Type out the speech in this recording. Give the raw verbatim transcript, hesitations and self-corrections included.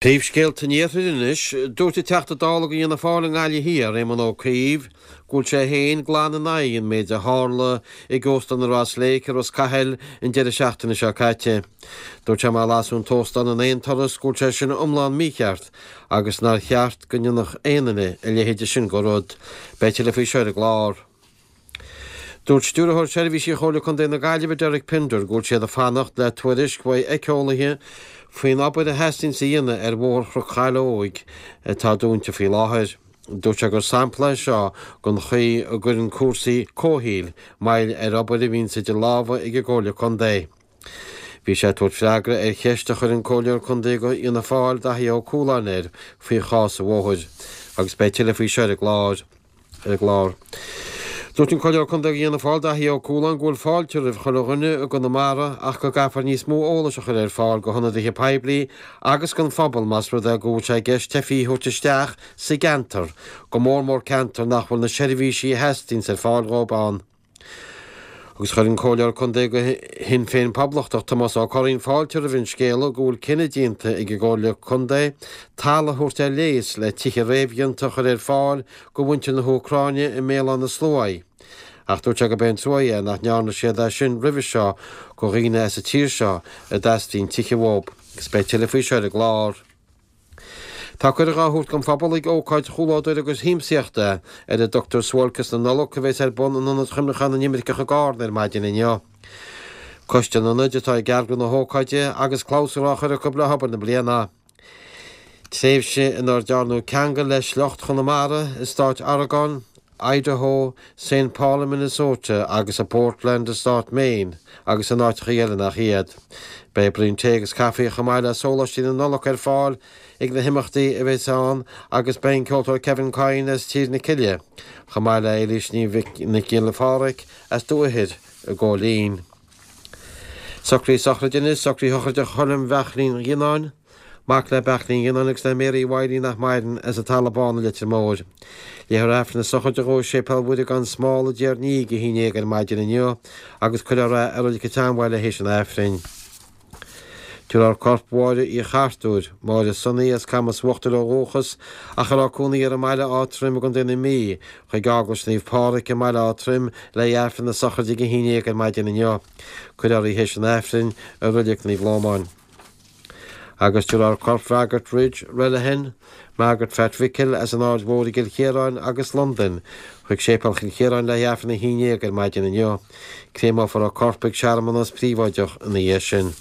Príomhscéalta an Iarthair anois, dúirt an Teachta Dála do Fhianna Fáil i nGaillimh Thiar, Éamon Ó Cuív, go bhfuil sé féin glan in aghaidh an méid a tharla ag Óstán an Ross Lake i Ros Cathail an deireadh seachtaine seo caite. Dúirt sé má lasadh an t-óstán in aon turas go bhfuil sé sin iomlán mícheart agus nár cheart go ndéanfadh aon duine a leithéide sin de rud. Beidh tuilleadh faoi seo ar an gclár. Dúirt Stiúrthóir Seirbhísí Chomhairle Contae na Gaillimhe Derek Pinder go bhfuil siad ag fanacht le tuairisc uaidh éiceolaithe faoin obair a theastaíonns a dhéanamh ar Bhóthar Chnoc Chaileoig atá dúnta faoi láthair. Dúirt sé gur sampla é seo den chaoi a gcuireann cúrsaí comhshaoil moill ar obair a bhíonns idir lámha ag an gComhairle Contae. Bhí sé ag tabhairt freagra ar cheist a chuir an Comhairleoir Contae do Fhianna Fáil Daithí Ó Cualáin air faoi chás an bhóthair agus beidh tuilleadh faoi seo ar an gclár. Ar an gclár. Dúirt an Comhairleoir Contae do Fhianna Fáil Daithí Ó Cualáin go bhfuil fáilte roimh chuile dhuine i gConamara ach go gcaithfear níos mó eolais a chur ar fáil go hionadaithe poiblí agus don phobal más rud é go bhfuil sé i gceist teifigh a thabhairt isteach sa gceantar, go mór mór ceantar nach bhfuil na seirbhísí a theastaíonns ar fáil dhóibh ann. Agus chuir an Comhairleoir Contae do Shinn Féin Poblachtach Tomás Ó Curraoin fáilte roimh an scéala go bhfuil cinneadh déanta ag an gComhairle Contae talamh a thabhairt ar léas le tithe réamhdhéanta a chur ar fáil do mhuintir na hÚcráine i mBéal Átha na Sluaighe. Ach dúirt sé go b'é an trua é nach ndearna siad é sin roimhe seo do dhaoine as an tír seo a dteastaíonn tithe uathu. Agus beidh tuilleadh faoi seo ar an gclár. Tá cuireadh á thabhairt don phobal ag ócáid chomhluadair agus shiamsaíochta ar a dtugtar Suáilceas na Nollag a bheas ar bun in Ionad Chuimhneacháin na nImirceach i gCarna ar maidin inniu. Coiste an Ionaid atá ag eagrú na hócáide agus clabhsúr á chur acu le hobair na bliana. Tréimhse inar dearnadh ceangal le sliocht Chonamara i stáit Oregon, Idaho, Saint Paul i Minnesota agus i Portland i stát Maine agus in áiteacha eile nach iad. Beidh braon tae agus caife chomh maith le sóláistí na Nollag ar fáil ag na himeachtaí a bheas ann agus beidh an ceoltóir Kevin Coyne as Tír na Cille chomh maith le Éilís Ní Nic Giolla Phádraig as Dumha Thoir i gCo Linn. Socruithe sochraide anois, socruithe shochraide Choilm Bheachlín Ghionnáin, mac le Beachlín Ghionnáin agus le Mary Wiley nach maireann as an Talamh Bán i Leitir Móir. Léifear Aifreann na sochraide dhó i Séipéal Mhuire gan Smál i dTír an Fhia ag a haon déag ar maidin inniu agus cuirfear é i Reilig an tSeanbhaile théis an Aifrinn. Tabharfar corp Mháire Uí Chartúir, Máire Sonaí as Camas Uachtair ó dhúchas ach a raibh cónaí uirthi i mBaile Átha Troim i gContae na Mí, chuig Eaglais Naomh Pádraig i mBaile Átha Troim le haghaidh Aifreann na sochraide ag a haon déag ar maidin inniu. Cuirfear í théis an Aifrinn i Reilig Naomh Lómáin. Agus tabharfar corp Mhargaret Ridge Relihan, Margaret Phat Mhicil as an Aird Mhór i gCill Chiaráin agus Londain chuig Séipéal Chill Chiaráin le haghaidh Aifreann a haon déag ar maidin inniu. Créamófar a corp ag searmanas príobháideach ina dhiaidh sin.